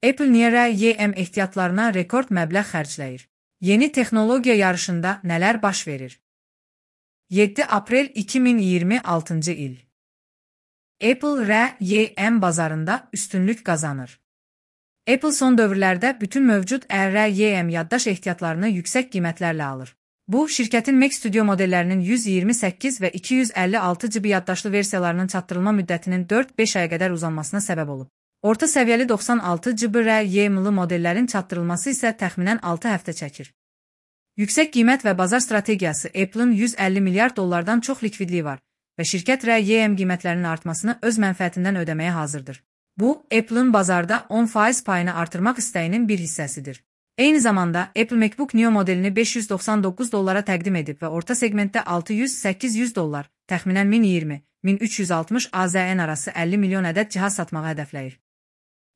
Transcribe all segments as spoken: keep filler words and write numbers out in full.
Apple niyə R Y M ehtiyatlarına rekord məbləğ xərcləyir? Yeni texnologiya yarışında nələr baş verir? yeddi aprel iki min iyirmi altıncı il. Apple R Y M bazarında üstünlük qazanır. Apple son dövrlərdə bütün mövcud R Y M yaddaş ehtiyatlarını yüksək qiymətlərlə alır. Bu, şirkətin Mac Studio modellərinin yüz iyirmi səkkiz və iki yüz əlli altı GB yaddaşlı versiyalarının çatdırılma müddətinin dörd-beş aya qədər uzanmasına səbəb olub. Orta səviyyəli doxsan altı GB R Y M-lı modellərin çatdırılması isə təxminən altı həftə çəkir. Yüksək qiymət və bazar strategiyası Apple'ın yüz əlli milyard dollardan çox likvidliyi var və şirkət R Y M qiymətlərinin artmasını öz mənfəətindən ödəməyə hazırdır. Bu, Apple'ın bazarda on faiz payını artırmaq istəyinin bir hissəsidir. Eyni zamanda, Apple MacBook Neo modelini beş yüz doxsan doqquz dollara təqdim edib və orta segmentdə altı yüz səkkiz yüz dollar, təxminən min iyirmi min üç yüz altmış A Z N arası əlli milyon ədəd cihaz satmağı hədəfləyir.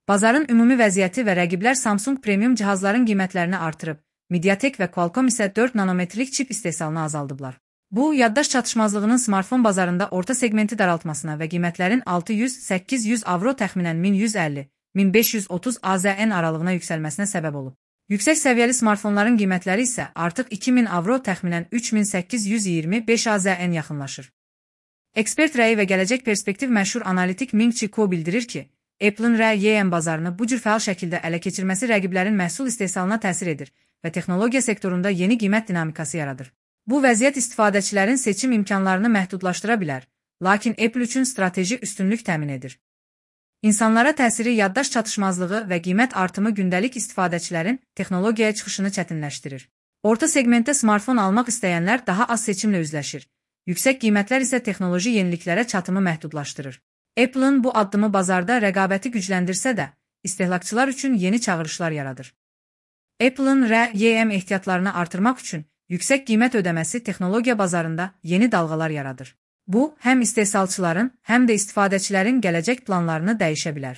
Bazarın ümumi vəziyyəti və rəqiblər Samsung premium cihazların qiymətlərini artırıb, Mediatek və Qualcomm isə dörd nanometrlik çip istehsalını azaldıblar. Bu, yaddaş çatışmazlığının smartfon bazarında orta segmenti daraltmasına və qiymətlərin altı yüz səkkiz yüz avro təxminən min yüz əlli min beş yüz otuz A Z N aralığına yüksəlməsinə səbəb olub. Yüksək səviyyəli smartfonların qiymətləri isə artıq iki min avro təxminən üç min səkkiz yüz iyirmi beş A Z N yaxınlaşır. Ekspert rəyi və gələcək perspektiv məşhur analitik Ming Chi Kuo bildirir ki, Apple'ın R Y M bazarını bu cür fəal şəkildə ələ keçirməsi rəqiblərin məhsul istehsalına təsir edir və texnologiya sektorunda yeni qiymət dinamikası yaradır. Bu vəziyyət istifadəçilərin seçim imkanlarını məhdudlaşdıra bilər, lakin Apple üçün strateji üstünlük təmin edir. İnsanlara təsiri yaddaş çatışmazlığı və qiymət artımı gündəlik istifadəçilərin texnologiyaya çıxışını çətinləşdirir. Orta segmentdə smartfon almaq istəyənlər daha az seçimlə üzləşir. Yüksək qiymətlər isə texnoloji yeniliklərə çatımı məhdudlaşdırır. Apple'ın bu addımı bazarda rəqabəti gücləndirsə də, istehlakçılar üçün yeni çağırışlar yaradır. Apple'ın R Y M ehtiyatlarını artırmaq üçün yüksək qiymət ödəməsi texnologiya bazarında yeni dalğalar yaradır. Bu, həm istehsalçıların, həm də istifadəçilərin gələcək planlarını dəyişə bilər.